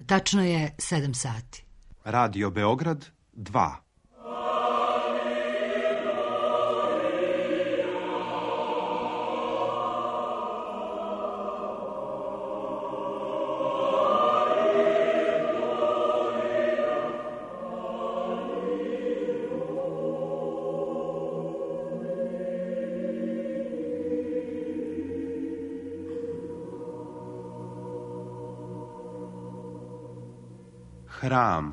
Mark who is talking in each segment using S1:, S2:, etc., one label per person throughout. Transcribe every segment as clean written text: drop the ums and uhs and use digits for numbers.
S1: Tačno je 7 sati.
S2: Radio Beograd 2. Hram.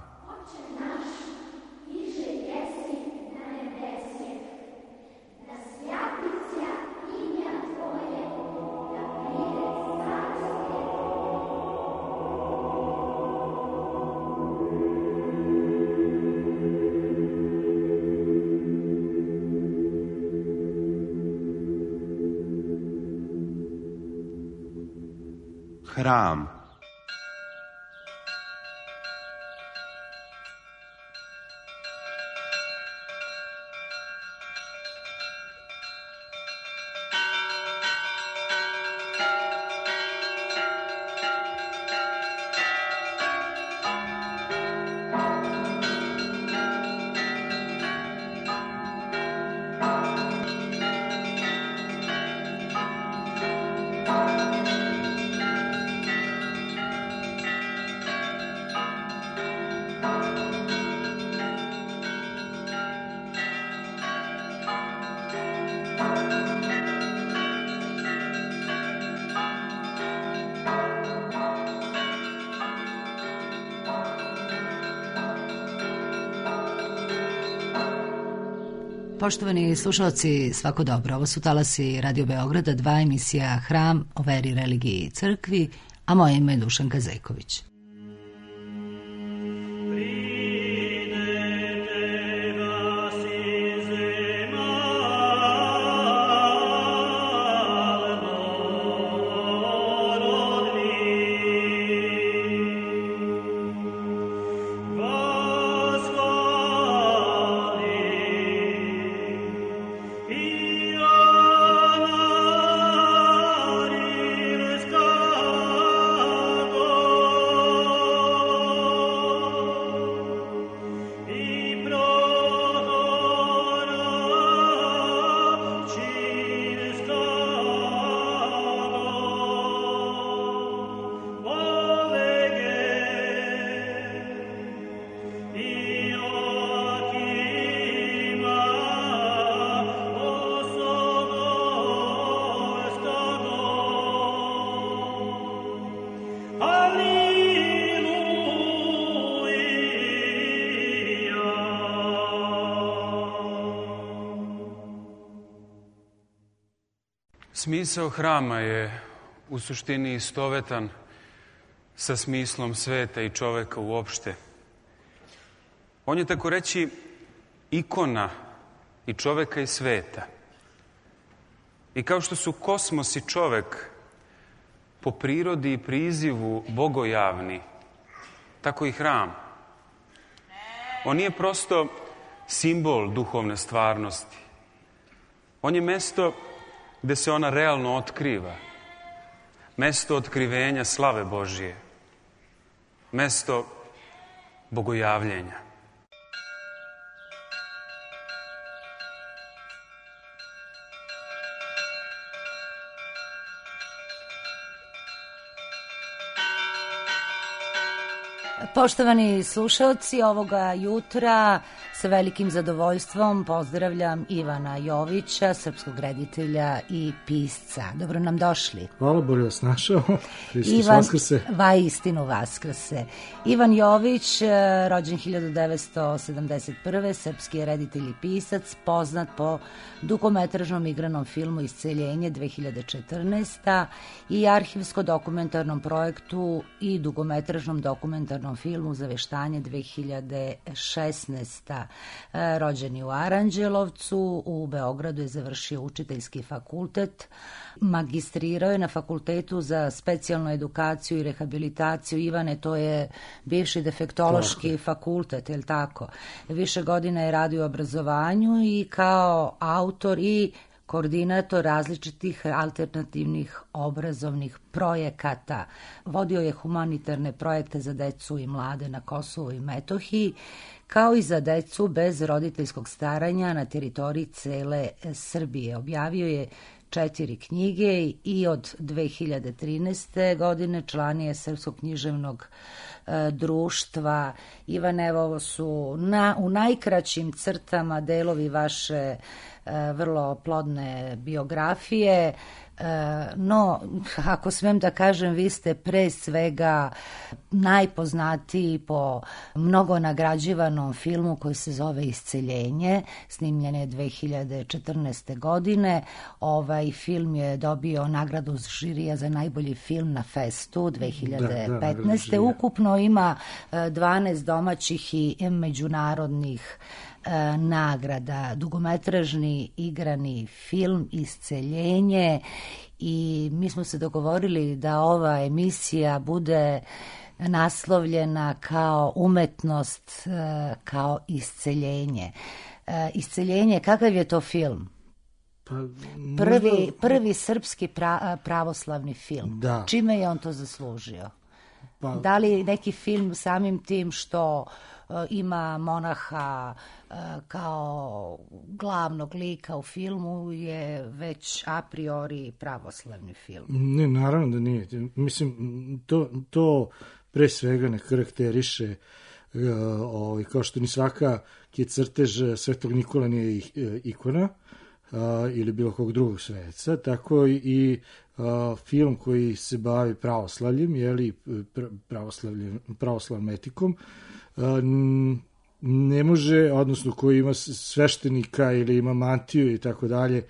S2: Hram.
S1: Poštovani slušalci, svako dobro. Ovo su talasi Radio Beograda 2, emisija Hram o veri, religiji i crkvi, a moje ime je Dušanka Zejković.
S3: Smisao hrama je u suštini istovetan sa smislom sveta i čoveka uopšte. On je tako reći ikona i čoveka i sveta. I kao što su kosmos i čovek po prirodi i prizivu bogojavni, tako i hram. On nije prosto simbol duhovne stvarnosti. On je mesto gde se ona realno otkriva. Mesto otkrivenja slave Božije. Mesto bogojavljenja.
S1: Poštovani slušalci, ovoga jutra sa velikim zadovoljstvom pozdravljam Ivana Jovića, srpskog reditelja i pisca. Dobro nam došli.
S4: Hvala, bolje vas našao. Hristos Vaskrse.
S1: Istinu Vaskrse. Ivan Jović, rođen 1971. Srpski je reditelj i pisac, poznat po dugometražnom igranom filmu Isceljenje 2014. i arhivsko-dokumentarnom projektu i dugometražnom dokumentarnom filmu Zaveštanje 2016. Rođen u Aranđelovcu, u Beogradu je završio učiteljski fakultet, magistrirao je na Fakultetu za specijalnu edukaciju i rehabilitaciju. Ivane, to je bivši defektološki fakultet, je li tako? Više godina je radio u obrazovanju i kao autor i koordinator različitih alternativnih obrazovnih projekata. Vodio je humanitarne projekte za decu i mlade na Kosovu i Metohiji, kao i za decu bez roditeljskog staranja na teritoriji cele Srbije. Objavio je 4 knjige i od 2013. godine član je Srpskog književnog društva. Ivane, ovo su u najkraćim crtama delovi vaše vrlo plodne biografije, no, ako smem da kažem, vi ste pre svega najpoznatiji po mnogo nagrađivanom filmu koji se zove Isceljenje, snimljen je 2014. godine. Ovaj film je dobio nagradu žirija za najbolji film na Festu 2015. Ukupno ima 12 domaćih i međunarodnih nagrada. Dugometražni igrani film Isceljenje, i mi smo se dogovorili da ova emisija bude naslovljena kao umetnost, kao isceljenje. Isceljenje, kakav je to film?
S4: Pa,
S1: Prvi srpski pravoslavni film.
S4: Da.
S1: Čime je on to zaslužio?
S4: Pa,
S1: da li neki film samim tim što ima monaha kao glavnog lika u filmu je već a priori pravoslavni film?
S4: Ne, naravno da nije. Mislim, to pre svega ne karakteriše, kao što ni svaka crtež Svetog Nikola nije ikona ili bilo kog drugog sveca, tako i film koji se bavi pravoslavljem, pravoslavnom etikom, ne može, odnosno koji ima sveštenika ili ima mantiju i tako dalje,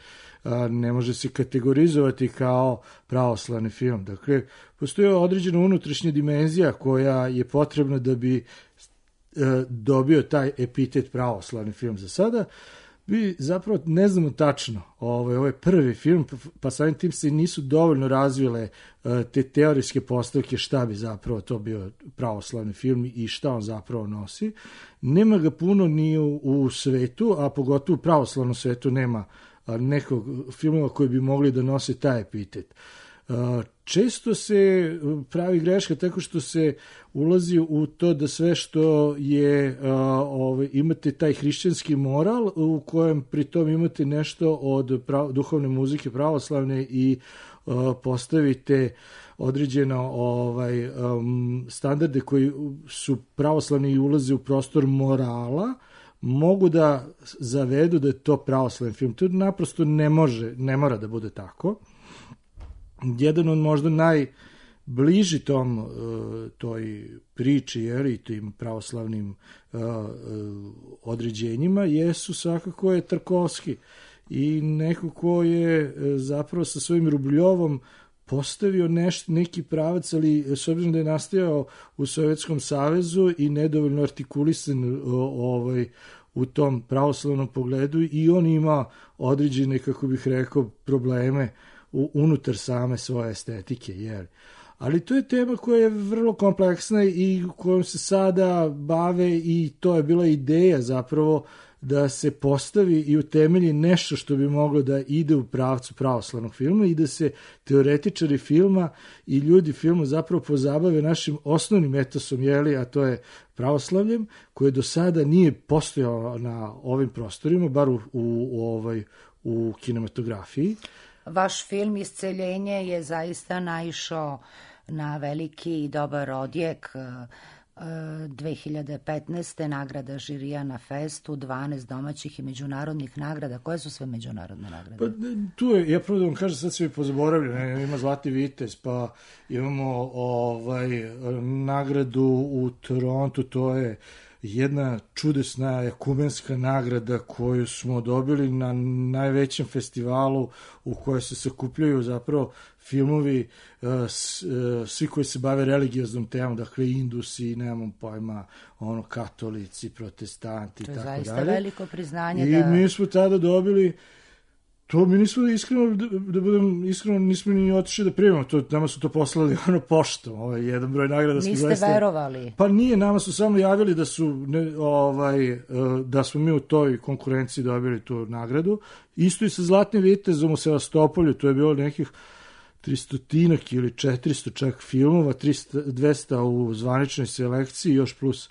S4: ne može se kategorizovati kao pravoslavni film. Dakle, postoji određena unutrašnja dimenzija koja je potrebna da bi dobio taj epitet pravoslavni film. Za sada mi zapravo ne znamo tačno, ovo je prvi film, pa samim tim se nisu dovoljno razvile te teorijske postavke šta bi zapravo to bio pravoslavni film i šta on zapravo nosi. Nema ga puno ni u svetu, a pogotovo u pravoslavnom svetu nema nekog filmova koji bi mogli da nose taj epitet. Često se pravi greška tako što se ulazi u to da sve što je, imate taj hrišćanski moral u kojem pritom imate nešto od duhovne muzike pravoslavne i postavite određeno standarde koji su pravoslavni i ulaze u prostor morala, mogu da zavedu da je to pravoslavni film. To naprosto ne mora da bude tako. Jedan od možda najbliži toj priči i tim pravoslavnim određenjima svakako je Tarkovski i neko ko je zapravo sa svojim Rubljovom postavio neki pravac, ali s obzirom da je nastajao u Sovjetskom savezu i nedovoljno artikulisan u tom pravoslavnom pogledu, i on ima određene, kako bih rekao, probleme unutar same svoje estetike. Ali to je tema koja je vrlo kompleksna i kojom se sada bave, i to je bila ideja zapravo da se postavi i utemelji nešto što bi moglo da ide u pravcu pravoslavnog filma i da se teoretičari filma i ljudi filma zapravo pozabave našim osnovnim etosom, a to je pravoslavljem, koje do sada nije postojao na ovim prostorima, bar u kinematografiji.
S1: Vaš film Isceljenje je zaista naišao na veliki i dobar odjek. 2015. nagrada žirija na Festu, 12 domaćih i međunarodnih nagrada. Koje su sve međunarodne nagrade?
S4: Pa tu je, ja prvo da vam kažem, sad se mi pozaboravljam, ima Zlatni vitez, pa imamo nagradu u Torontu, to je jedna čudesna ekumenska nagrada koju smo dobili na najvećem festivalu u kojoj se sakupljaju zapravo filmovi, svi koji se bave religioznom temom, dakle Indusi, nemam pojma, katolici, protestanti,
S1: to
S4: tako dalje.
S1: To je zaista veliko priznanje.
S4: I mi smo tada dobili To mi nismo iskreno, da budem iskreno, nismo ni otišli da primimo, nama su to poslali poštom, jedan broj nagrada.
S1: Niste verovali?
S4: Pa nije, nama su samo javili da da smo mi u toj konkurenciji dobili tu nagradu. Isto i sa Zlatnim vitezom u Sevastopolju, to je bilo nekih 300 ili 400 čak filmova, 200 u zvaničnoj selekciji, još plus.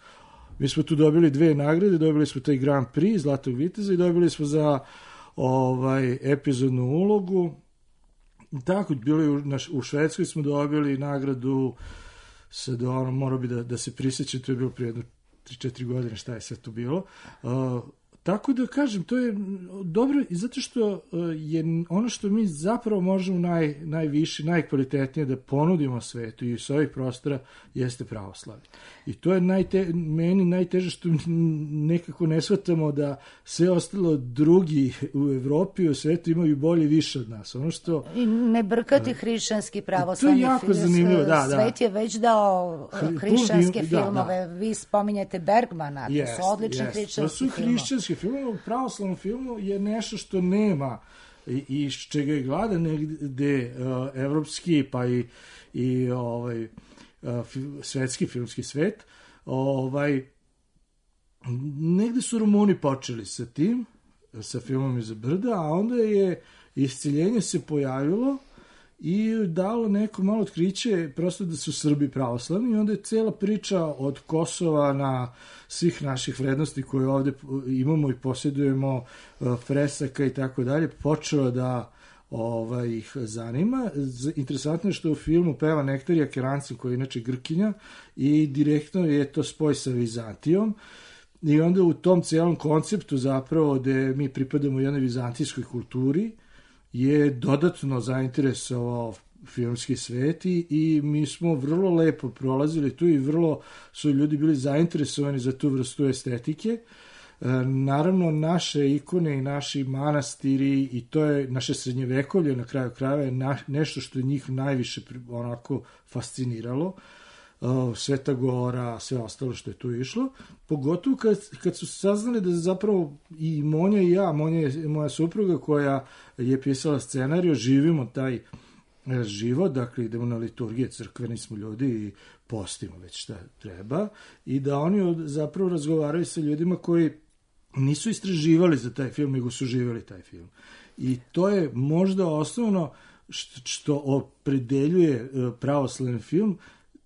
S4: Mi smo tu dobili 2 nagrade, dobili smo taj Grand Prix Zlatog viteza i dobili smo za epizodnu ulogu. Tako, bili u Švedskoj smo dobili nagradu, sad mora bi da se prisjećam, to je bilo prije 3-4 godine, šta je sve to bilo. Tako da kažem, to je dobro i zato što je ono što mi zapravo možemo najviše, najkvalitetnije da ponudimo svetu i s ovih prostora jeste pravoslavlje. I to je meni najteže što nekako ne shvatamo da sve ostalo drugi u Evropi i u svetu imaju bolje više od nas. Ono što,
S1: i ne brkati hrišćanski pravoslavni film.
S4: To je jako zanimljivo, da.
S1: Svet je već dao hrišćanske filmove. Da. Vi spominjete Bergmana, to su odlični hrišćanski filmovi.
S4: Film u pravoslavnom filmu je nešto što nema i iz čega je glada negde evropski pa i svetski filmski svet. Negde su Rumuni počeli sa tim, sa filmom Iza brda, a onda je Isceljenje se pojavilo i dalo neko malo otkriće prosto da su Srbi pravoslavni i onda je cela priča od Kosova na svih naših vrednosti koje ovde imamo i posjedujemo, fresaka i tako dalje, počela da ih zanima. Interesantno je što u filmu peva Nektarija Kerancin, koja je inače Grkinja, i direktno je to spoj sa Vizantijom. I onda u tom celom konceptu zapravo gde mi pripadamo jednoj vizantijskoj kulturi je dodatno zainteresovao filmski svet i mi smo vrlo lepo prolazili tu i vrlo su ljudi bili zainteresovani za tu vrstu estetike. Naravno, naše ikone i naši manastiri i to je naše srednjevekovlje na kraju krajeva je nešto što je njih najviše onako fasciniralo. Sveta Gora, sve ostalo što je tu išlo. Pogotovo kad su saznali da zapravo i Monja i ja, Monja je moja supruga koja je pisala scenariju, živimo taj život, dakle idemo na liturgije, crkveni smo ljudi i postimo već šta treba i da oni zapravo razgovaraju sa ljudima koji nisu istraživali za taj film, nego su živjeli taj film. I to je možda osnovno što opredeljuje pravoslavni film.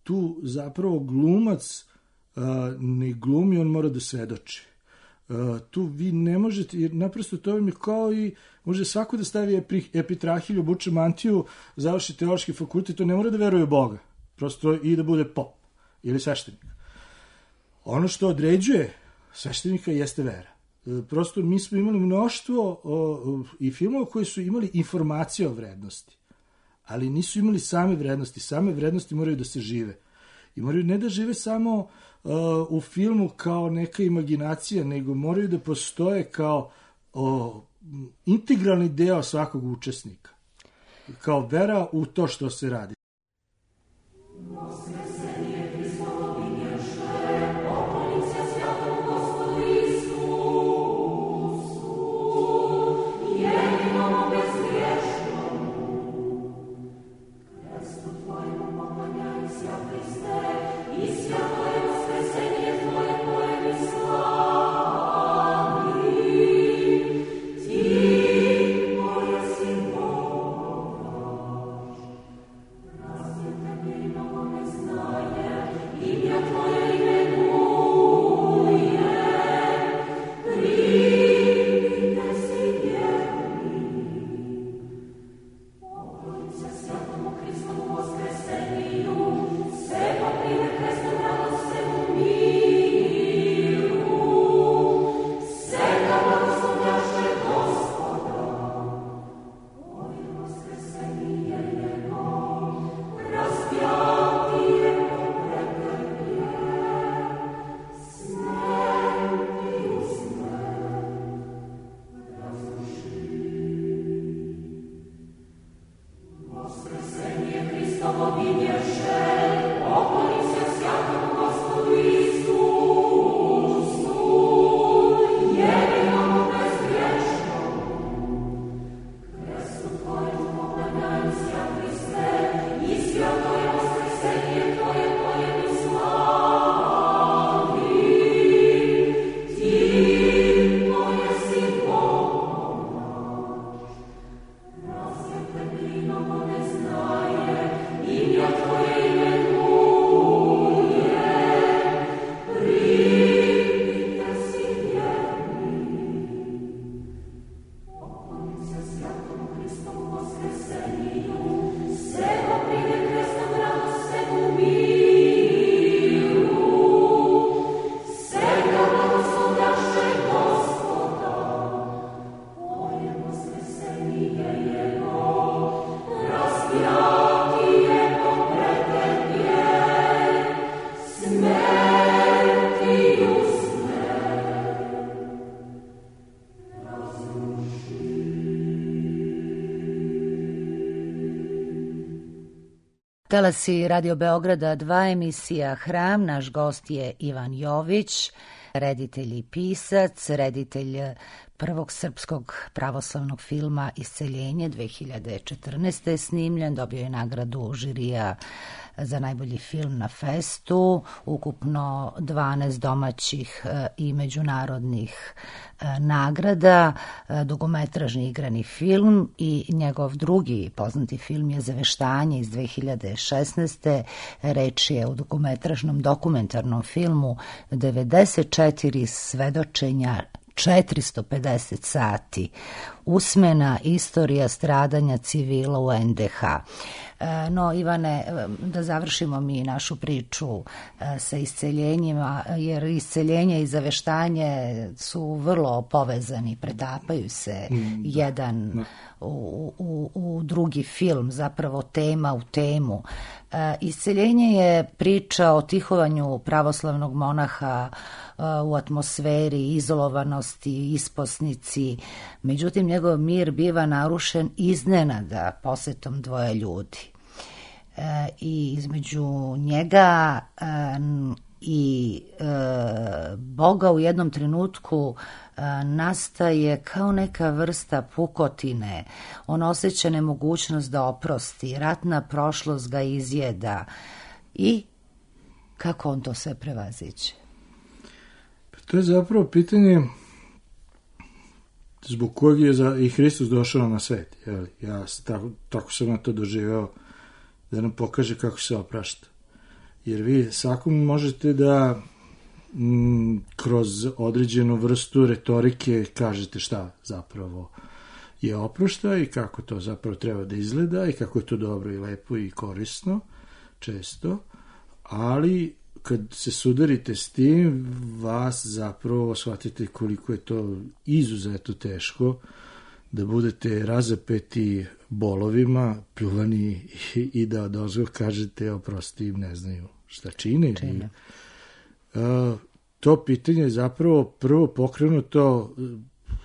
S4: Tu zapravo glumac ne glumi, on mora da svedoči. Tu vi ne možete, jer naprosto to vam je kao i može svako da stavi epitrahilju, obuče mantiju, završi teološki fakultet, to ne mora da veruje u Boga, prosto i da bude pop ili sveštenik. Ono što određuje sveštenika jeste vera. Prosto mi smo imali mnoštvo i filmova koji su imali informacije o vrednosti, ali nisu imali same vrednosti. Same vrednosti moraju da se žive. I moraju ne da žive samo u filmu kao neka imaginacija, nego moraju da postoje kao integralni deo svakog učesnika. Kao vera u to što se radi.
S1: Talasi Radio Beograda 2, emisija Hram. Naš gost je Ivan Jović, reditelj i pisac, reditelj prvog srpskog pravoslavnog filma Isceljenje 2014. je snimljen, dobio je nagradu žirija za najbolji film na festu, ukupno 12 domaćih i međunarodnih nagrada, dugometražni igrani film i njegov drugi poznati film je Zaveštanje iz 2016. Reč je o dugometražnom dokumentarnom filmu 94 svedočenja, 450 sati, usmena istorija stradanja civila u NDH. No, Ivane, da završimo mi našu priču sa isceljenjima, jer isceljenje i zaveštanje su vrlo povezani, pretapaju se jedan u drugi film, zapravo tema u temu. Isceljenje je priča o tihovanju pravoslavnog monaha u atmosferi izolovanosti, isposnici, međutim njegov mir biva narušen iznenada posetom dvoje ljudi. I između njega i Boga u jednom trenutku nastaje kao neka vrsta pukotine. On osjeća nemogućnost da oprosti, ratna prošlost ga izjeda. I kako on to sve prevaziće?
S4: To je zapravo pitanje zbog kojeg je i Hristos došao na svet. Ja tako sam na to doživeo, da nam pokaže kako se oprašta. Jer vi svakom možete da kroz određenu vrstu retorike kažete šta zapravo je oprošta i kako to zapravo treba da izgleda i kako je to dobro i lepo i korisno, često, ali kad se sudarite s tim, vas zapravo shvatite koliko je to izuzetno teško da budete razapeti bolovima, pljuvani i da odozgo kažete oprosti im, ne znaju šta čine. To pitanje je zapravo prvo pokrenuto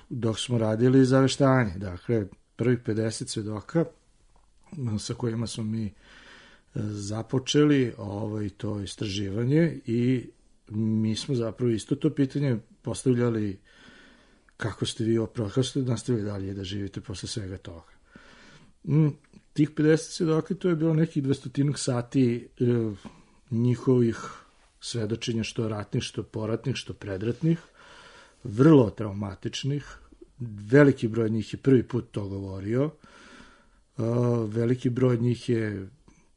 S4: dok smo radili zaveštanje. Dakle, prvih 50 svedoka sa kojima smo mi započeli to istraživanje i mi smo zapravo isto to pitanje postavljali kako ste vi kako ste nastavili dalje da živite posle svega toga. Tih 50 svedoka, to je bilo nekih 200 sati njihovih svedočenja, što ratnih, što poratnih, što predratnih, vrlo traumatičnih. Veliki broj njih je prvi put to govorio. Veliki broj njih je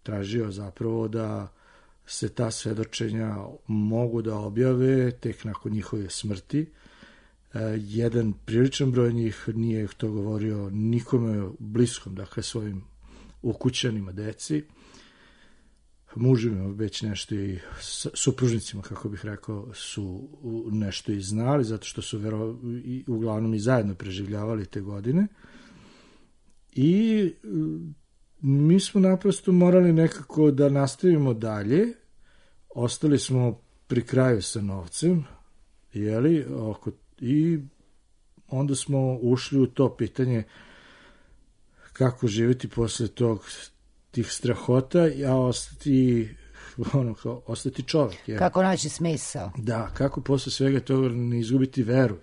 S4: tražio zapravo da se ta svedočenja mogu da objave tek nakon njihove smrti. Jedan priličan broj njih nije to govorio nikome bliskom, dakle svojim ukućanima, deci, mužima, već nešto i supružnicima, kako bih rekao, su nešto i znali, zato što su uglavnom i zajedno preživljavali te godine. I mi smo naprosto morali nekako da nastavimo dalje. Ostali smo pri kraju sa novcem, i onda smo ušli u to pitanje kako živjeti posle tih strahota, a ostati čovjek.
S1: Kako naći smisao.
S4: Da, kako posle svega toga ne izgubiti veru.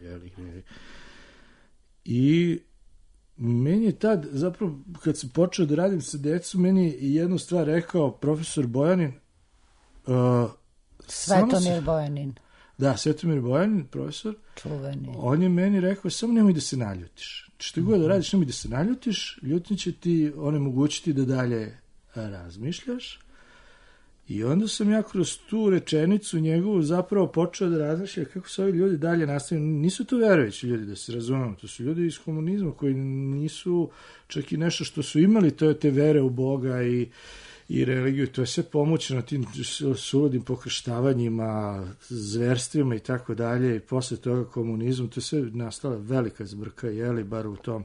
S4: I meni je tad, zapravo, kad sam počeo da radim sa decom, meni je jednu stvar rekao profesor Bojanin.
S1: Svetomir Bojanin.
S4: Da, Svetomir Bojanin, profesor.
S1: Čuveni.
S4: On je meni rekao, samo nemoj da se naljutiš. Što god da radiš, nemoj da se naljutiš, ljutnje će ti onemogućiti da dalje razmišljaš. I onda sam ja kroz tu rečenicu njegovu zapravo počeo da razmišljam kako se ovi ljudi dalje nastavljaju. Nisu to verujući ljudi, da se razumemo. To su ljudi iz komunizma koji nisu čak i nešto što su imali, to je te vere u Boga i religiju. To je sve pomoćeno tim suludim pokrštavanjima, zverstvima i tako dalje. I posle toga komunizmu, to je sve nastala velika zbrka, bar u tom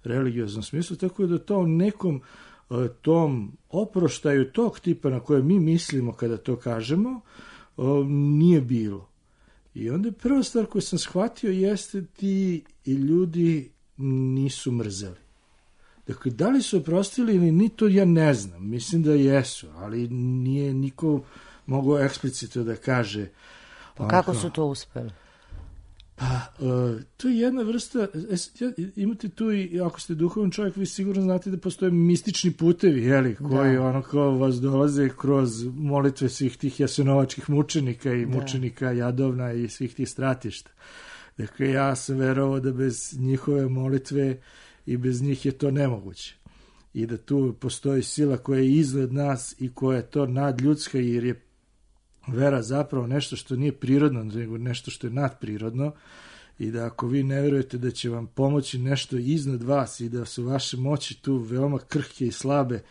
S4: religioznom smislu. Tako da to nekom tom oproštaju tog tipa na koje mi mislimo kada to kažemo, nije bilo. I onda prva stvar koju sam shvatio jeste ti ljudi nisu mrzeli. Dakle, da li su oprostili ili ni, to ja ne znam. Mislim da jesu, ali nije niko mogao eksplicitno da kaže.
S1: Pa kako su to uspeli?
S4: Pa, to je jedna vrsta, imate tu i, ako ste duhovan čovjek, vi sigurno znate da postoje mistični putevi, jeli, koji ono kao vas dolaze kroz molitve svih tih jasenovačkih mučenika i mučenika Jadovna i svih tih stratišta. Dakle, ja sam verovao da bez njihove molitve i bez njih je to nemoguće. I da tu postoji sila koja je iznad nas i koja je to nadljudska, jer je vera zapravo nešto što nije prirodno, nego nešto što je nadprirodno, i da ako vi ne verujete da će vam pomoći nešto iznad vas i da su vaše moći tu veoma krhke i slabe,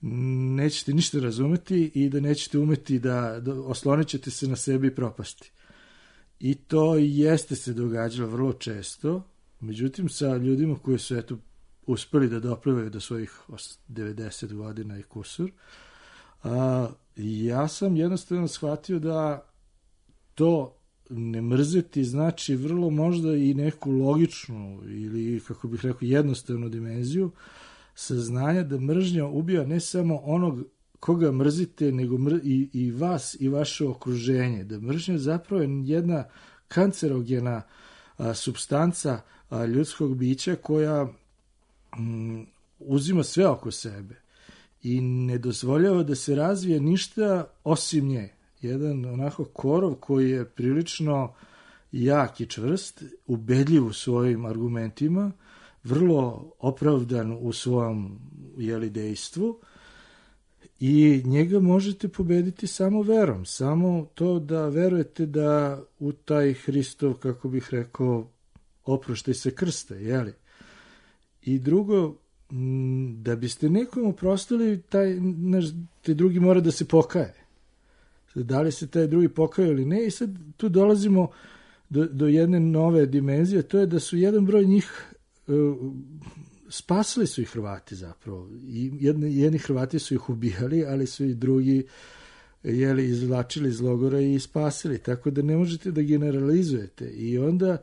S4: nećete ništa razumeti i da nećete umeti da oslonit ćete se na sebi i propasti. I to jeste se događalo vrlo često, međutim sa ljudima koji su uspeli da doplivaju do svojih 90 godina i kusur, ja sam jednostavno shvatio da to ne mrzeti znači vrlo možda i neku logičnu ili, kako bih rekao, jednostavnu dimenziju saznanja da mržnja ubija ne samo onog koga mrzite, nego i vas i vaše okruženje. Da mržnja zapravo je jedna kancerogena supstanca ljudskog bića koja uzima sve oko sebe i ne dozvoljava da se razvije ništa osim nje. Jedan onako korov koji je prilično jak i čvrst, ubedljiv u svojim argumentima, vrlo opravdan u svom dejstvu, i njega možete pobediti samo verom, samo to da verujete da u taj Hristov, kako bih rekao, oproštaj se krsta, jeli? I drugo, da biste nekom oprostili, taj drugi mora da se pokaje. Da li se taj drugi pokaje ili ne, i sad tu dolazimo do jedne nove dimenzije, to je da su jedan broj njih spasili su ih Hrvati zapravo. I jedni Hrvati su ih ubijali, ali su i drugi izvlačili iz logora i spasili. Tako da ne možete da generalizujete. I onda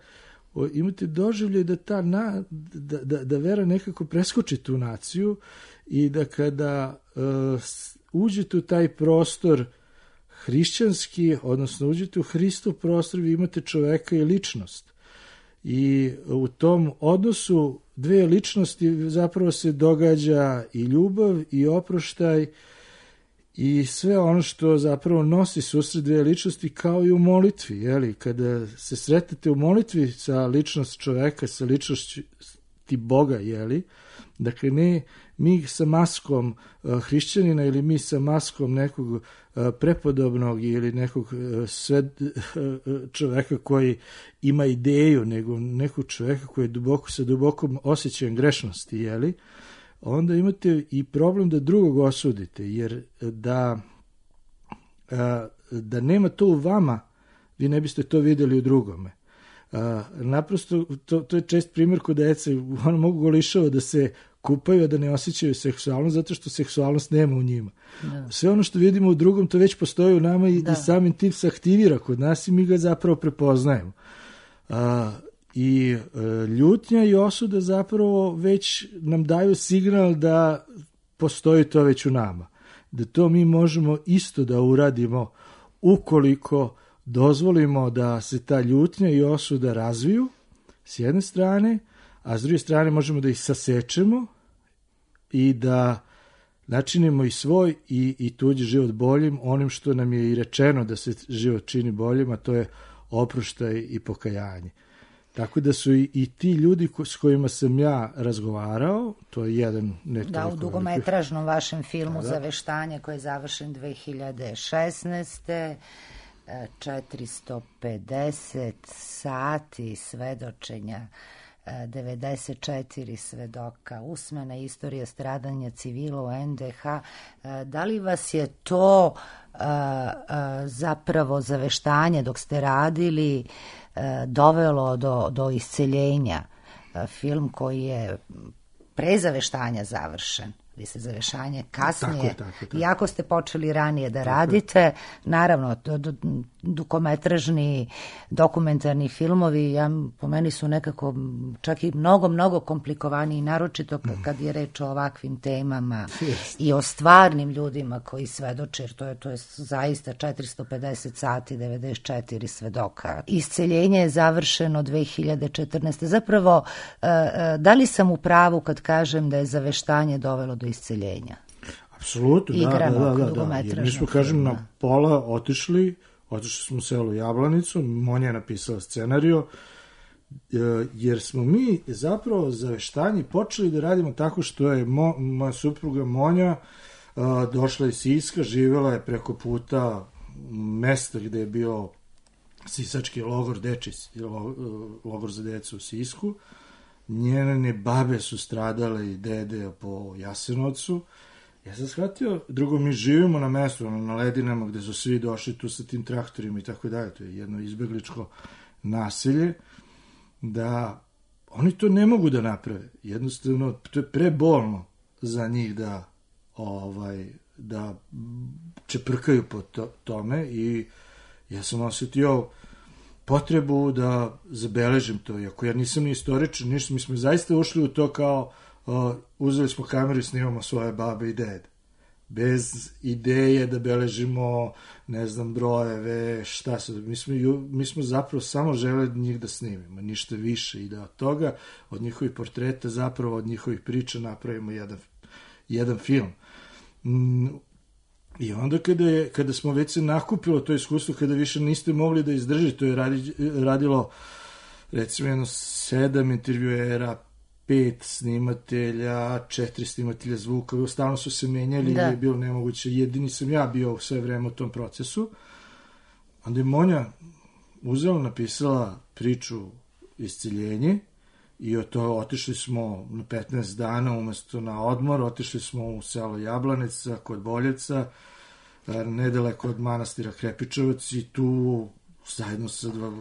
S4: imate doživljaj da vera nekako preskoči tu naciju i da kada uđete u taj prostor hrišćanski, odnosno uđete u Hristov prostor, vi imate čoveka i ličnost. I u tom odnosu dve ličnosti zapravo se događa i ljubav i oproštaj i sve ono što zapravo nosi susret dve ličnosti, kao i u molitvi. Jeli? Kada se sretete u molitvi sa ličnost čoveka, sa ličnosti Boga, jeli? Dakle, ne mi sa maskom hrišćanina ili mi sa maskom nekog prepodobnog ili nekog čoveka koji ima ideju, nego nekog čoveka koji je sa dubokom osjećajem grešnosti, jeli? Onda imate i problem da drugog osudite, jer da nema to u vama, vi ne biste to vidjeli u drugome. Naprosto, to je čest primjer kod dece, ono mogu golišava da se kupaju, a da ne osjećaju seksualnost, zato što seksualnost nema u njima. Da. Sve ono što vidimo u drugom, to već postoji u nama i samim tim se aktivira kod nas i mi ga zapravo prepoznajemo. I ljutnja i osuda zapravo već nam daju signal da postoji to već u nama. Da to mi možemo isto da uradimo ukoliko dozvolimo da se ta ljutnja i osuda razviju s jedne strane, a s druge strane možemo da ih sasečemo i da načinimo i svoj i tuđi život boljim, onim što nam je i rečeno da se život čini boljim, a to je oproštaj i pokajanje. Tako da su i ti ljudi s kojima sam ja razgovarao, to je jedan...
S1: u dugometražnom vašem filmu Zaveštanje, koji je završen 2016. 450 sati svedočenja, 94 svedoka, usmena istorija stradanja civila u NDH. Da li vas je to zapravo zaveštanje dok ste radili dovelo do isceljenja? Film koji je pre zaveštanja završen, Vi ste Zavešanje kasnije,
S4: tako.
S1: iako ste počeli ranije da radite, naravno, dugometražni, dokumentarni filmovi, po meni su nekako čak i mnogo komplikovaniji, naročito kad je reč o ovakvim temama i o stvarnim ljudima koji svedoče, jer to je zaista 450 sati, 94 svedoka. Isceljenje je završeno 2014. Zapravo, da li sam u pravu kad kažem da je Zaveštanje dovelo do isceljenja?
S4: Apsolutno, da. Jer mi smo, kažem, na pola otišli smo u selo Jablanicu, Monja je napisala scenarijo, jer smo mi zapravo Zaveštanje počeli da radimo tako što je moja supruga Monja došla iz Siska, živjela je preko puta mesta gde je bio sisački logor, logor za decu u Sisku. Njene babe su stradale i dede po Jasenovcu. Ja sam shvatio, drugo, mi živimo na mestu, na Ledinama, gde su svi došli tu sa tim traktorima i tako dalje, to je jedno izbegličko naselje, da oni to ne mogu da naprave. Jednostavno, to je prebolno za njih da čeprkaju po tome i ja sam osjetio potrebu da zabeležim to, iako ja nisam ni istoričan, ništa, mi smo zaista ušli u to kao uzeli smo kameru i snimamo svoje babe i dede. Bez ideje da beležimo, ne znam, brojeve, šta se... Mi smo zapravo samo želeli njih da snimimo, ništa više i da od toga, od njihovih portreta, zapravo od njihovih priča napravimo jedan film. I onda kada smo već se nakupilo to iskustvo, kada više niste mogli da izdržite, to je radilo recimo jedno 7 intervjuera, 5 snimatelja, 4 snimatelja zvuka, stalno su se menjali i je bilo nemoguće. Jedini sam ja bio sve vreme u tom procesu. Onda je Monja uzela, napisala priču Isceljenje i od toga otišli smo na 15 dana umesto na odmor, otišli smo u selo Jablanica kod Boljevca, nedaleko od manastira Krepičevac i tu zajedno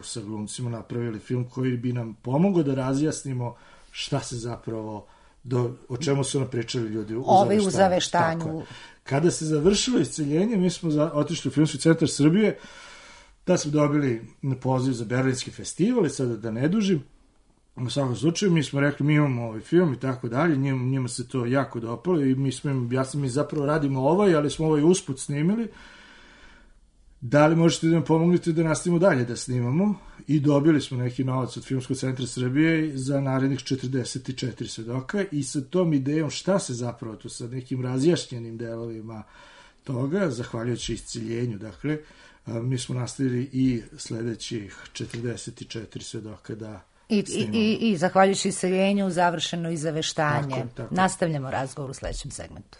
S4: sa glumcima napravili film koji bi nam pomogao da razjasnimo šta se zapravo, o čemu su nam pričali ljudi u Zaveštanju. Kada se završilo Isceljenje, mi smo otišli u Filmski centar Srbije, da smo dobili poziv za Berlinski festival i sada da ne dužim. U svakom slučaju, mi smo rekli, mi imamo ovaj film i tako dalje, njima se to jako dopalo i mi zapravo radimo ali smo ovaj usput snimili. Da li možete da nam pomognete da nastavimo dalje da snimamo? I dobili smo neki novac od Filmskog centra Srbije za narednih 44 svedoka i sa tom idejom šta se zapravo tu sa nekim razjašnjenim delovima toga, zahvaljujući Isceljenju, dakle, mi smo nastavili i sledećih 44 svedoka da snimamo.
S1: I zahvaljujući Isceljenju završeno i Zaveštanje.
S4: Tako.
S1: Nastavljamo razgovor u sledećem segmentu.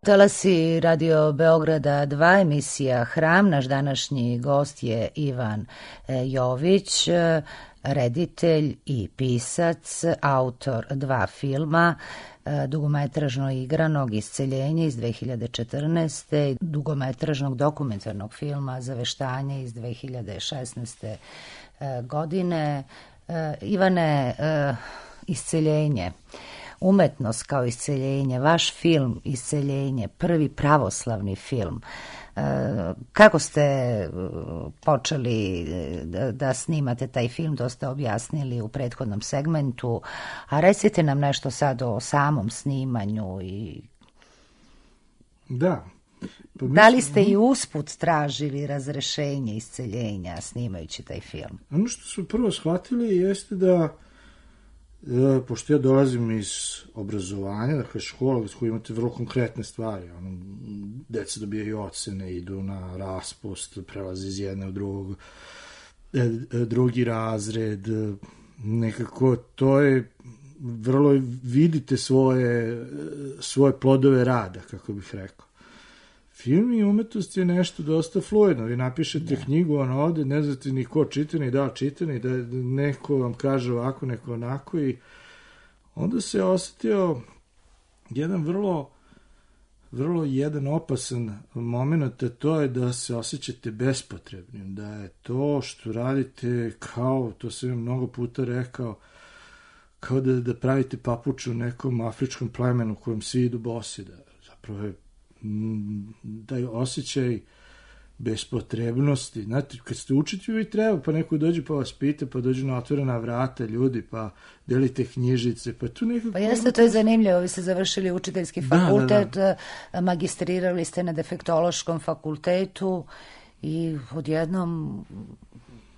S1: Talasi Radio Beograda 2, emisija Hram. Naš današnji gost je Ivan Jović, reditelj i pisac, autor 2 filma, dugometražno igranog Isceljenje iz 2014. i dugometražnog dokumentarnog filma Zaveštanje iz 2016. godine. Ivane, Isceljenje, umetnost kao isceljenje, vaš film Isceljenje, prvi pravoslavni film. Kako ste počeli da snimate taj film, to ste objasnili u prethodnom segmentu, a recite nam nešto sad o samom snimanju.
S4: Da.
S1: Da li ste i usput tražili razrešenje isceljenja snimajući taj film?
S4: Ono što smo prvo shvatili jeste da pošto ja dolazim iz obrazovanja, dakle škola s kojoj imate vrlo konkretne stvari, deca dobijaju ocene, idu na raspust, prelazi iz jedne u drugi razred, nekako to je vrlo, vidite svoje plodove rada, kako bih rekao. Film i umetnost je nešto dosta fluidno. Vi napišete knjigu, ona ode, ne znate ni ko čita, ni da čita, ni da neko vam kaže ovako, neko onako, i onda se osetio jedan vrlo jedan opasan moment, a to je da se osjećate bespotrebnim, da je to što radite kao, to sam mnogo puta rekao, kao da pravite papuču nekom afričkom plemenu kojem svi idu bosi, da zapravo je taj osjećaj bespotrebnosti. Znate, kad ste učitelji, vi treba, pa neko dođe pa vas pita, pa dođu na otvorena vrata ljudi, pa delite knjižice, pa tu nekako...
S1: Pa jeste, to je zanimljivo, vi ste završili učiteljski fakultet, magistrirali ste na defektološkom fakultetu i odjednom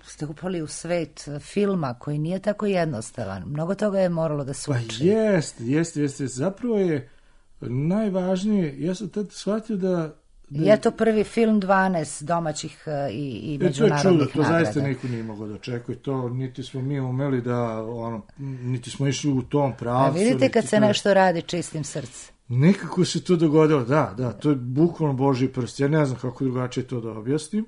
S1: ste upali u svet filma koji nije tako jednostavan. Mnogo toga je moralo da se uči.
S4: Pa jeste. Zapravo je najvažnije, ja sam tad shvatio da...
S1: Je to prvi film 12 domaćih i međunarodnih nagrada.
S4: To je čudo, to zaista niko nije mogao da očekuje to, niti smo mi umeli da, niti smo išli u tom pravcu.
S1: A vidite kad se nešto radi čistim srcem.
S4: Nekako se to dogodilo, da, to je bukvalno Božji prst, ja ne znam kako drugačije to da objasnim.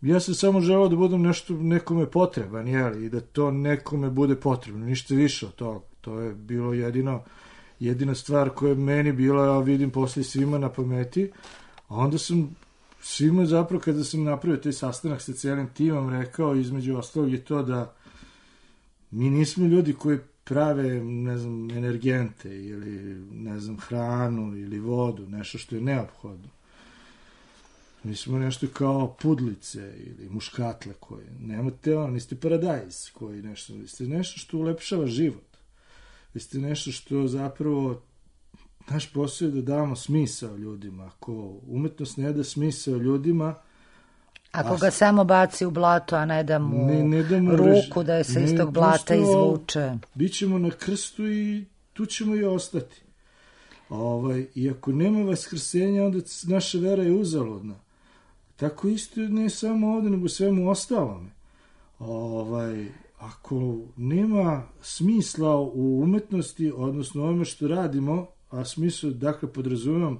S4: Ja sam samo želeo da budem nešto nekome potreban, i da to nekome bude potrebno, ništa više od toga. To je bilo jedina stvar koja je meni bila, ja vidim posle svima na pameti, a onda sam svima zapravo, kada sam napravio taj sastanak sa cijelim timom, rekao, između ostalog je to da mi nismo ljudi koji prave, ne znam, energente ili, ne znam, hranu ili vodu, nešto što je neophodno. Mi smo nešto kao pudlice ili muškatle koje nemate, niste paradajz koji nešto, vi ste nešto što ulepšava život. Vi ste nešto što zapravo, naš posao je da damo smisao ljudima. Ako umetnost ne da smisao ljudima...
S1: Ako ga samo baci u blato, a ne da mu ruku da je se iz tog blata izvuče.
S4: Bićemo na krstu i tu ćemo i ostati. I ako nema vaskrsenja, onda naša vera je uzaludna. Tako isto ne samo ovde, nego svemu ostalome. Ako nema smisla u umetnosti, odnosno ovome što radimo, a smislu, dakle, podrazumijem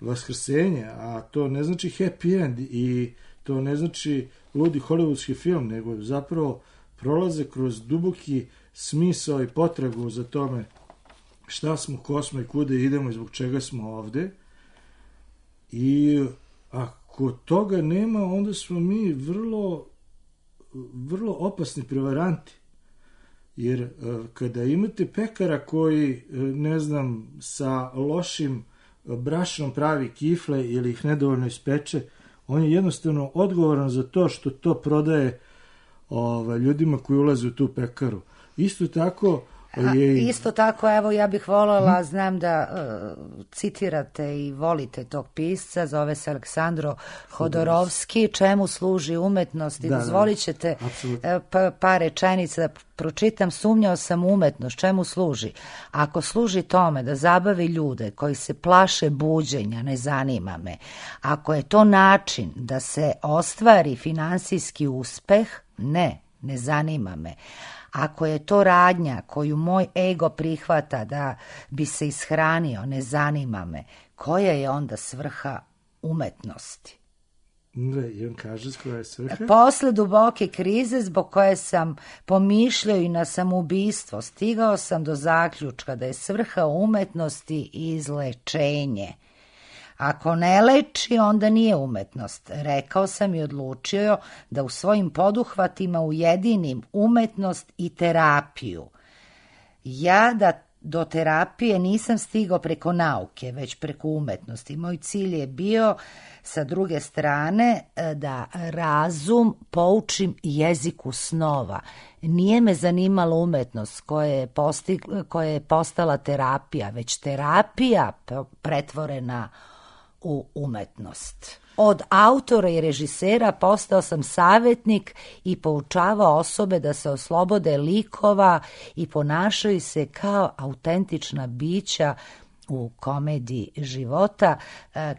S4: vaskrsenje, a to ne znači happy end i to ne znači ludi hollywoodski film, nego zapravo prolaze kroz duboki smisao i potragu za tome šta smo, ko smo i kude idemo i zbog čega smo ovde. I ako toga nema, onda smo mi vrlo opasni prevaranti. Jer kada imate pekara koji, ne znam, sa lošim brašnom pravi kifle ili ih nedovoljno ispeče, on je jednostavno odgovoran za to što to prodaje ljudima koji ulaze u tu pekaru. Isto tako
S1: Isto tako, evo, ja bih voljela, znam da citirate i volite tog pisca, zove se Aleksandro Hodorovski, čemu služi umetnost, i dozvolit ćete par rečenica da pročitam. Sumnjao sam umetnost, čemu služi? Ako služi tome da zabavi ljude koji se plaše buđenja, ne zanima me. Ako je to način da se ostvari finansijski uspeh, ne zanima me. Ako je to radnja koju moj ego prihvata da bi se ishranio, ne zanima me. Koja je onda svrha umetnosti?
S4: I on kaže koja je svrha?
S1: Posle duboke krize zbog koje sam pomišljao i na samoubistvo, stigao sam do zaključka da je svrha umetnosti izlečenje. Ako ne leči, onda nije umetnost. Rekao sam i odlučio da u svojim poduhvatima ujedinim umetnost i terapiju. Ja da do terapije nisam stigao preko nauke, već preko umetnosti. Moj cilj je bio, sa druge strane, da razum poučim jeziku snova. Nije me zanimala umetnost koja je postala terapija, već terapija pretvorena u umetnost. Od autora i režisera postao sam savjetnik i poučavao osobe da se oslobode likova i ponašaju se kao autentična bića u komediji života.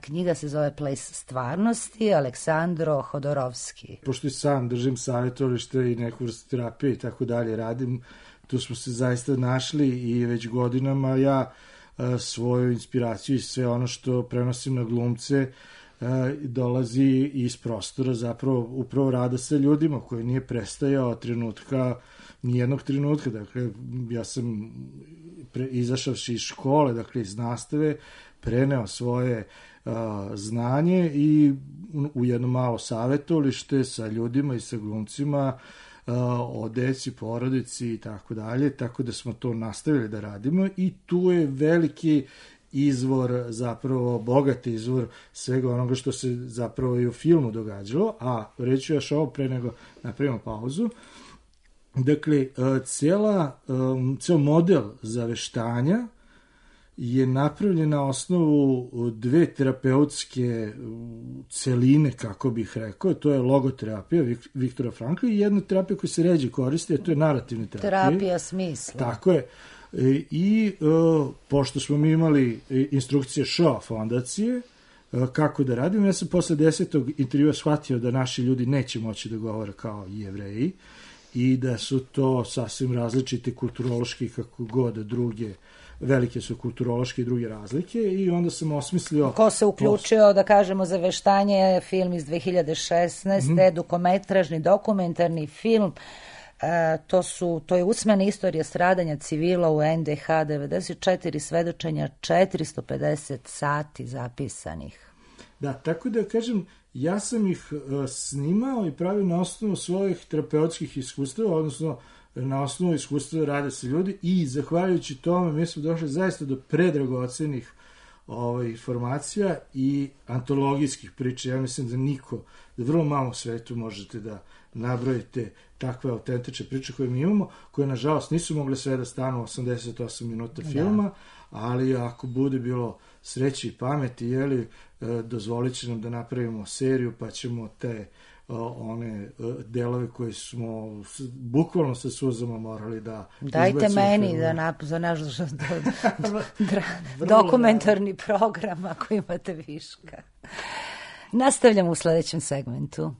S1: Knjiga se zove Ples stvarnosti, Aleksandro Hodorovski.
S4: Pošto i sam držim savjetovalište i neku vrstu terapije i tako dalje radim, tu smo se zaista našli i već godinama ja svoju inspiraciju i sve ono što prenosim na glumce dolazi iz prostora zapravo upravo rada sa ljudima koji nije prestajao trenutka, nijednog trenutka. Dakle, ja sam izašavši iz škole, dakle iz nastave, preneo svoje znanje i u jedno malo savjetovalište sa ljudima i sa glumcima o deci, porodici i tako dalje, tako da smo to nastavili da radimo i tu je veliki izvor, zapravo bogat izvor svega onoga što se zapravo i u filmu događalo, a reću još ovo pre nego napravimo pauzu. Dakle, ceo model zaveštanja je napravljen na osnovu dve terapeutske celine, kako bih rekao. To je logoterapija Viktora Frankla i jedna terapija koja se ređe koristi, a to je narativna terapija.
S1: Terapija smisla.
S4: Tako je. I pošto smo mi imali instrukcije Shoah fondacije, kako da radimo, ja sam posle 10. intervjua shvatio da naši ljudi neće moći da govore kao Jevreji i da su to sasvim različite kulturološki, kako god druge, velike su kulturološke i druge razlike i onda sam osmislio... Ko
S1: se uključio, da kažemo, za veštanje, film iz 2016. Dugometražni dokumentarni film, to je usmena istorija stradanja civila u NDH, 94 svedočenja, 450 sati zapisanih.
S4: Da, tako da kažem, ja sam ih snimao i pravio na osnovu svojih terapeutskih iskustava, odnosno na osnovu iskustva rada sa ljudi i zahvaljujući tome mi smo došli zaista do predragocenih informacija i antologijskih priča. Ja mislim da vrlo malo u svetu možete da nabrojite takve autentične priče koje mi imamo, koje nažalost nisu mogle sve da stanu 88 minuta filma, ali ako bude bilo sreće i pameti, dozvolit će nam da napravimo seriju, pa ćemo te one delove koje smo bukvalno sa suzama morali da
S1: dajte meni za naš dokumentarni program ako imate viška. Nastavljamo u sledećem segmentu.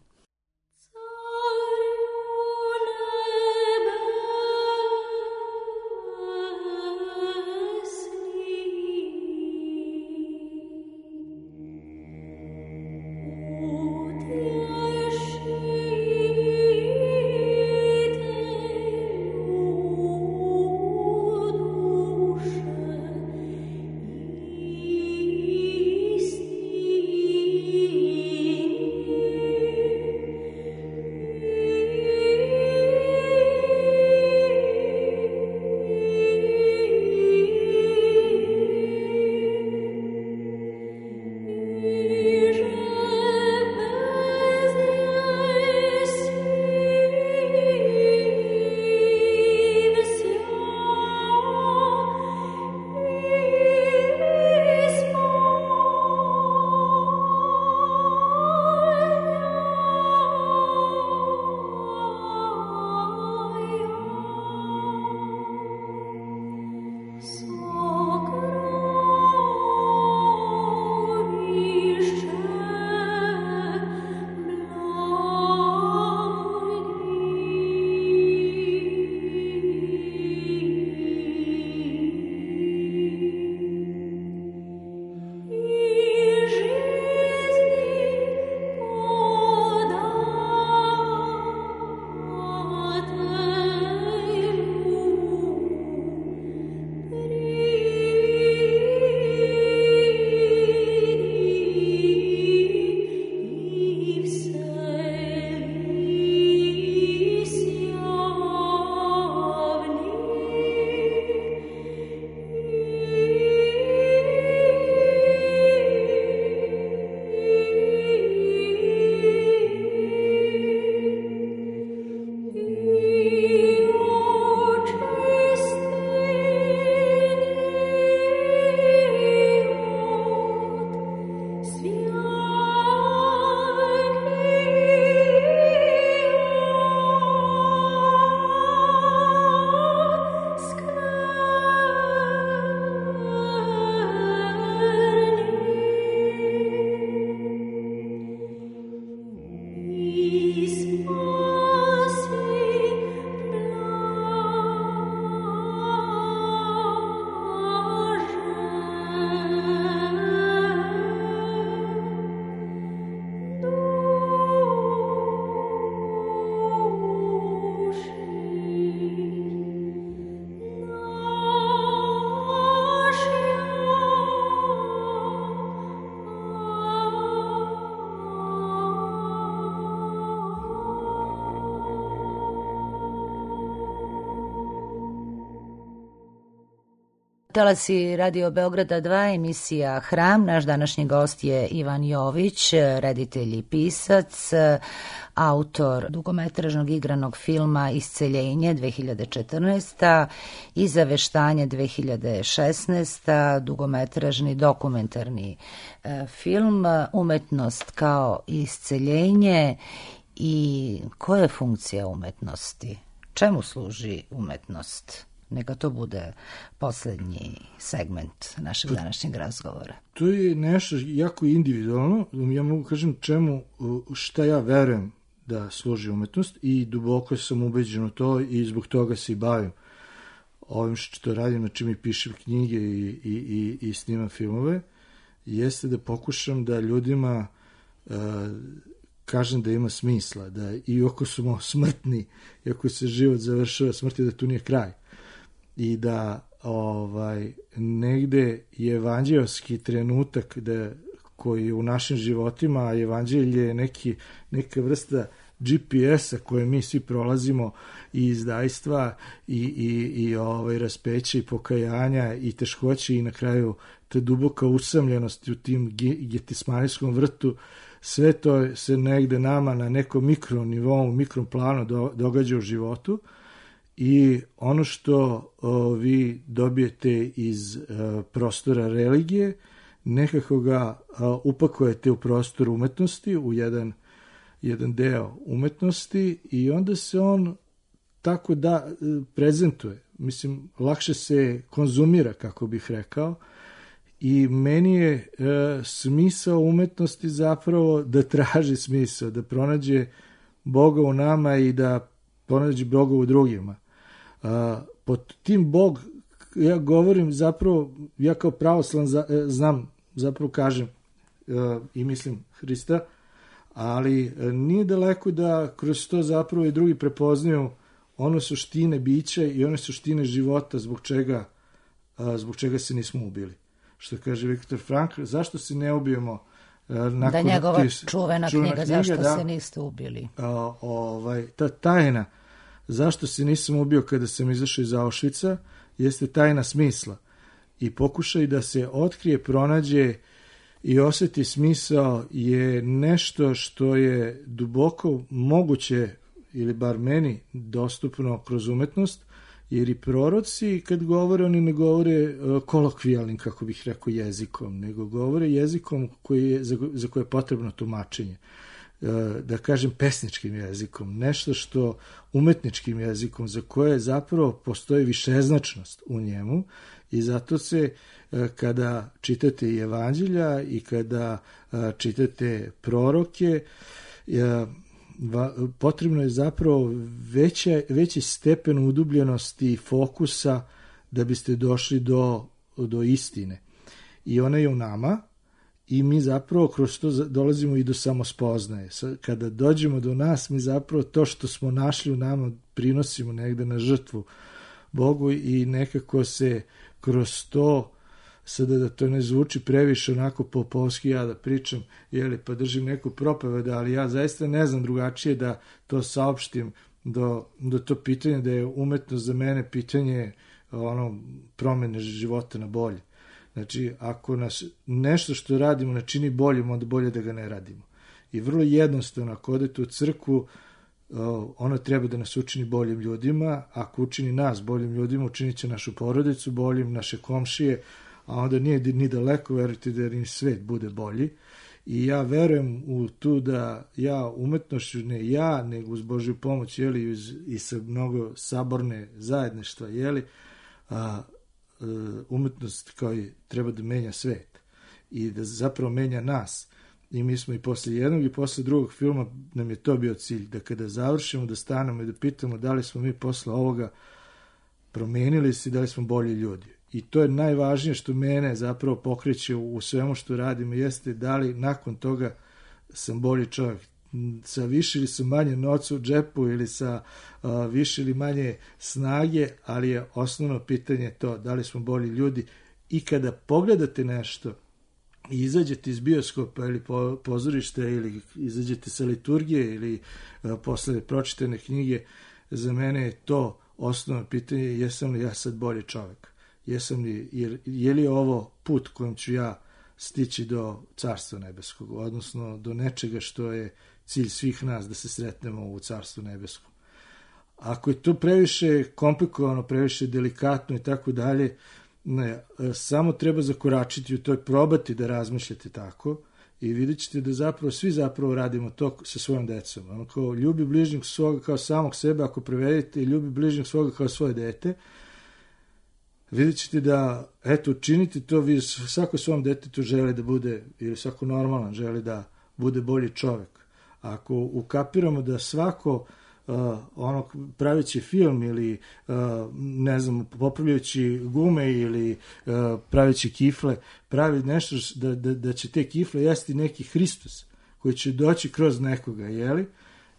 S1: Talasi Radio Beograda 2, emisija Hram. Naš današnji gost je Ivan Jović, reditelj i pisac, autor dugometražnog igranog filma Isceljenje 2014. i Zaveštanje 2016. dugometražni dokumentarni film Umetnost kao isceljenje. I koja je funkcija umetnosti? Čemu služi umetnost? Neka to bude posljednji segment našeg današnjeg razgovora.
S4: To je nešto jako individualno. Ja mogu kažem šta ja verujem da služi umetnost i duboko sam ubeđen u to i zbog toga se i bavim ovim što radim, na čim i pišem knjige i snimam filmove, jeste da pokušam da ljudima kažem da ima smisla, da i ako smo smrtni, i ako se život završava smrti, da tu nije kraj. I da negde je evanđeoski trenutak koji je u našim životima, a evanđelje je neka vrsta GPS-a koje mi svi prolazimo i izdajstva i raspeća i pokajanja i teškoće i na kraju ta duboka usamljenost u tim Getismanijskom vrtu. Sve to se negde nama na nekom mikronivou, mikroplanu događa u životu i ono što vi dobijete iz prostora religije, nekako ga upakujete u prostor umetnosti, u jedan deo umetnosti i onda se on tako da prezentuje. Mislim, lakše se konzumira, kako bih rekao, i meni je smisao umetnosti zapravo da traži smisao, da pronađe Boga u nama i da pronađe Boga u drugima. Pod tim Bog, ja govorim zapravo, ja kao pravoslan znam, zapravo kažem i mislim Hrista, ali nije daleko da kroz to zapravo i drugi prepoznaju ono suštine bića i one suštine života zbog čega se nismo ubili. Što kaže Viktor Frankl, zašto se ne ubijemo nakon...
S1: Da njegova čuvena knjiga, zašto se niste ubili.
S4: Ta tajna, zašto se nisam ubio kada sam izašao iz Auschwitza, jeste tajna smisla. I pokušaj da se otkrije, pronađe i osjeti smisao je nešto što je duboko moguće, ili bar meni, dostupno kroz umetnost, jer i proroci kad govore, oni ne govore kolokvijalnim, kako bih rekao, jezikom, nego govore jezikom za koje je potrebno tumačenje. Da kažem pesničkim jezikom, nešto što umetničkim jezikom, za koje zapravo postoji višeznačnost u njemu i zato se kada čitate i evanđelja i kada čitate proroke, potrebno je zapravo veći stepen udubljenosti i fokusa da biste došli do istine. I ona je u nama i mi zapravo kroz to dolazimo i do samospoznaje. Kada dođemo do nas, mi zapravo to što smo našli u nama prinosimo negde na žrtvu Bogu i nekako se kroz to, sada da to ne zvuči previše onako popovski, ja da pričam, pa držim neku propoved, ali ja zaista ne znam drugačije da to saopštim do to pitanje, da je umetnost za mene pitanje promene života na bolje. Znači, ako nas nešto što radimo ne čini boljim, onda bolje da ga ne radimo. I vrlo jednostavno, ako odete u crkvu, ono treba da nas učini boljim ljudima, ako učini nas boljim ljudima, učinit će našu porodicu boljim, naše komšije, a onda nije ni daleko, verujte, da ni svet bude bolji. I ja verujem u tu da ja umetnošću, ne ja, nego uz Božju pomoć, i sa mnogo saborne zajedništva, umetnost koji treba da menja svet i da zapravo menja nas. I mi smo i posle jednog i posle drugog filma, nam je to bio cilj, da kada završimo, da stanemo i da pitamo da li smo mi posle ovoga promenili se i da li smo bolji ljudi. I to je najvažnije što mene zapravo pokreće u svemu što radimo, jeste da li nakon toga sam bolji čovjek, sa više ili sa manje novca u džepu ili sa više ili manje snage, ali je osnovno pitanje to da li smo bolji ljudi. I kada pogledate nešto i izađete iz bioskopa ili pozorišta ili izađete sa liturgije ili posle pročitane knjige, za mene je to osnovno pitanje, jesam li ja sad bolji čovjek. je li ovo put kojim ću ja stići do Carstva nebeskog, odnosno do nečega što je cilj svih nas, da se sretnemo u Carstvu nebeskom. Ako je to previše komplikovano, previše delikatno i tako dalje, ne, samo treba zakoračiti u to, probati da razmišljate tako i vidjet ćete da svi radimo to sa svojom decom. Ono kao ljubi bližnjeg svoga kao samog sebe, ako prevedete, ljubi bližnjeg svoga kao svoje dete, vidjet ćete da, učinite to, vi svako svom detetu želi da bude, ili svako normalan želi da bude bolji čovek. Ako ukapiramo da svako praveći film ili popravljajući gume ili praveći kifle, pravi nešto da će te kifle jesti neki Hristos koji će doći kroz nekoga, jeli?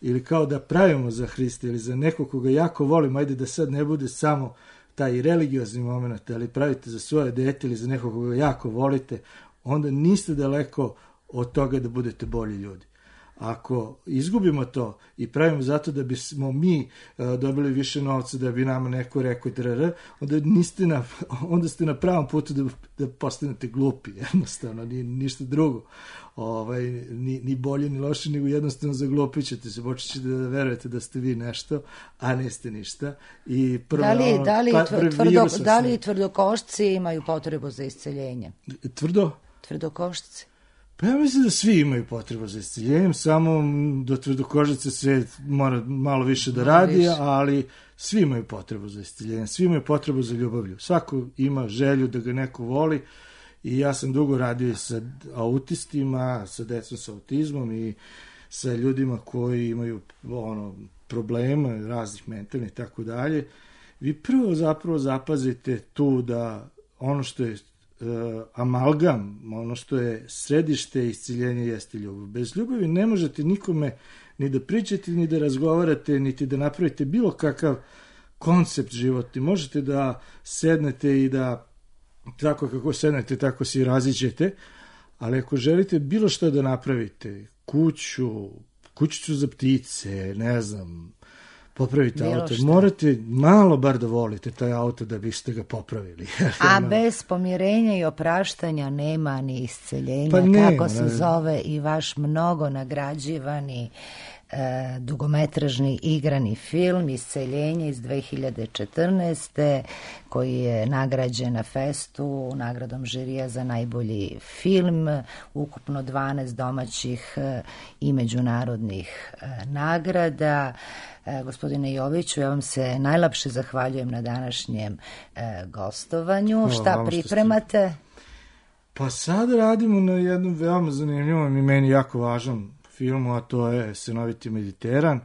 S4: Ili kao da pravimo za Hrista ili za nekog koga jako volimo, ajde da sad ne bude samo taj religiozni moment, ali pravite za svoje dete ili za nekog koga jako volite, onda niste daleko od toga da budete bolji ljudi. Ako izgubimo to i pravimo zato da bismo mi dobili više novca, da bi nama neko rekao onda ste na pravom putu da postanete glupi, jednostavno, ništa drugo. Ni bolje ni loše, nego jednostavno zaglupit ćete se, počećete da verujete da ste vi nešto, a niste ništa. I
S1: da li tvrdokošci imaju potrebu za isceljenje? Tvrdokošci.
S4: Pa ja mislim da svi imaju potrebu za isceljenjem, samo do tvrdokožice se mora malo više da radi, ali svi imaju potrebu za isceljenjem, svi imaju potrebu za ljubavlju. Svako ima želju da ga neko voli i ja sam dugo radio sa autistima, sa decom sa autizmom i sa ljudima koji imaju problema raznih mentalnih i tako dalje. Vi prvo zapravo zapazite tu da ono što je amalgam, ono što je središte isceljenja jeste ljubav. Bez ljubavi ne možete nikome ni da pričate, ni da razgovarate, niti da napravite bilo kakav koncept životni. Možete da sednete i da tako kako sednete, tako se i raziđete, ali ako želite bilo što da napravite, kućicu za ptice, ne znam, popravite auto, morate malo bar da volite taj auto da biste ga popravili.
S1: A bez pomirenja i opraštanja nema ni isceljenja, kako se zove i vaš mnogo nagrađivani dugometražni igrani film Isceljenje iz 2014. koji je nagrađen na festu nagradom žirija za najbolji film, ukupno 12 domaćih i međunarodnih nagrada. Gospodine Joviću, ja vam se najlepše zahvaljujem na današnjem gostovanju. Šta pripremate?
S4: Pa sad radimo na jednom veoma zanimljivom i meni jako važnom filmu, a to je Sinoviti Mediteran.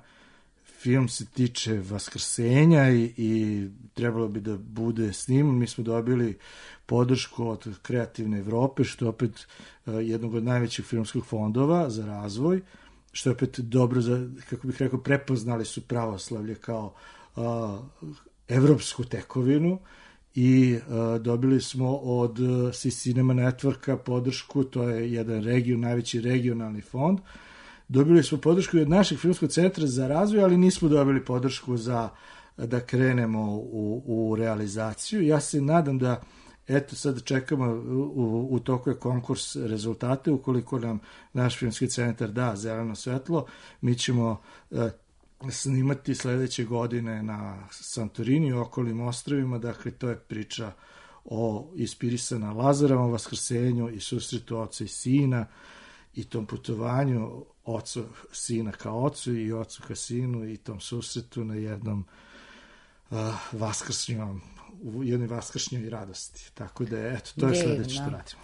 S4: Film se tiče Vaskrsenja i trebalo bi da bude sniman. Mi smo dobili podršku od Kreativne Evrope, što je opet jednog od najvećih filmskih fondova za razvoj, što je opet dobro za, kako bih rekao, prepoznali su pravoslavlje kao evropsku tekovinu i dobili smo od Cinema Networka podršku, to je jedan najveći regionalni fond. Dobili smo podršku i od našeg filmskog centra za razvoj, ali nismo dobili podršku za da krenemo u realizaciju. Ja se nadam da, sad čekamo, u toku je konkurs rezultate, ukoliko nam naš filmski centar da zeleno svetlo, mi ćemo snimati sledeće godine na Santorini i okolnim ostrvima, dakle to je priča inspirisana Lazarovom vaskrsenju i susretu oca i sina i tom putovanju ocu, sina ka ocu i ocu ka sinu i tom susretu na jednom u jednoj vaskršnjoj radosti. Tako da, to je sledeće što radimo.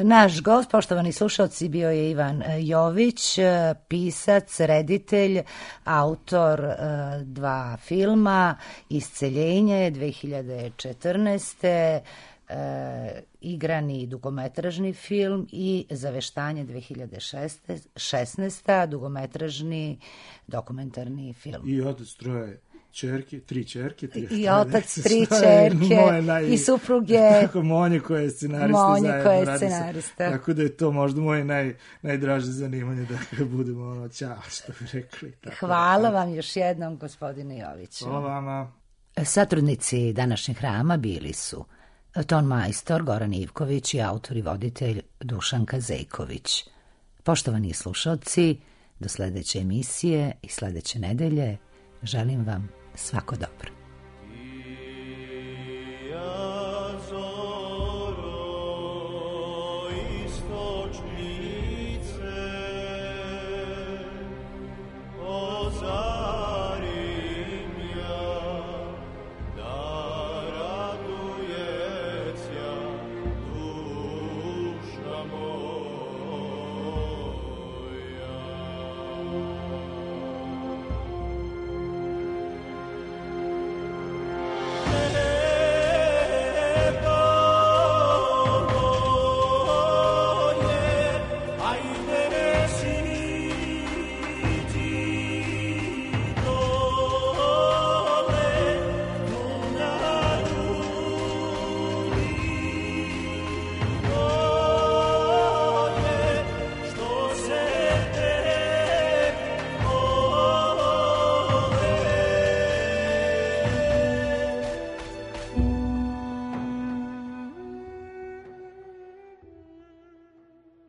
S1: Naš gost, poštovani slušalci, bio je Ivan Jović, pisac, reditelj, autor 2 filma, Isceljenje 2014. Igrani dugometražni film i Zaveštanje 2016. dugometražni dokumentarni film.
S4: I otac 3 čerke.
S1: I otac 3 čerke i supruge.
S4: Monje koja je scenarista. Tako da je to možda moje najdraže zanimanje, da budemo ćao, što bi rekli.
S1: Hvala vam još jednom, gospodine Joviću.
S4: Hvala vama.
S1: Satrudnici današnjeg hrama bili su Ton majstor Goran Ivković i autor i voditelj Dušan Kazejković. Poštovani slušalci, do sledeće emisije i sledeće nedelje želim vam svako dobro.
S5: Zoro istočni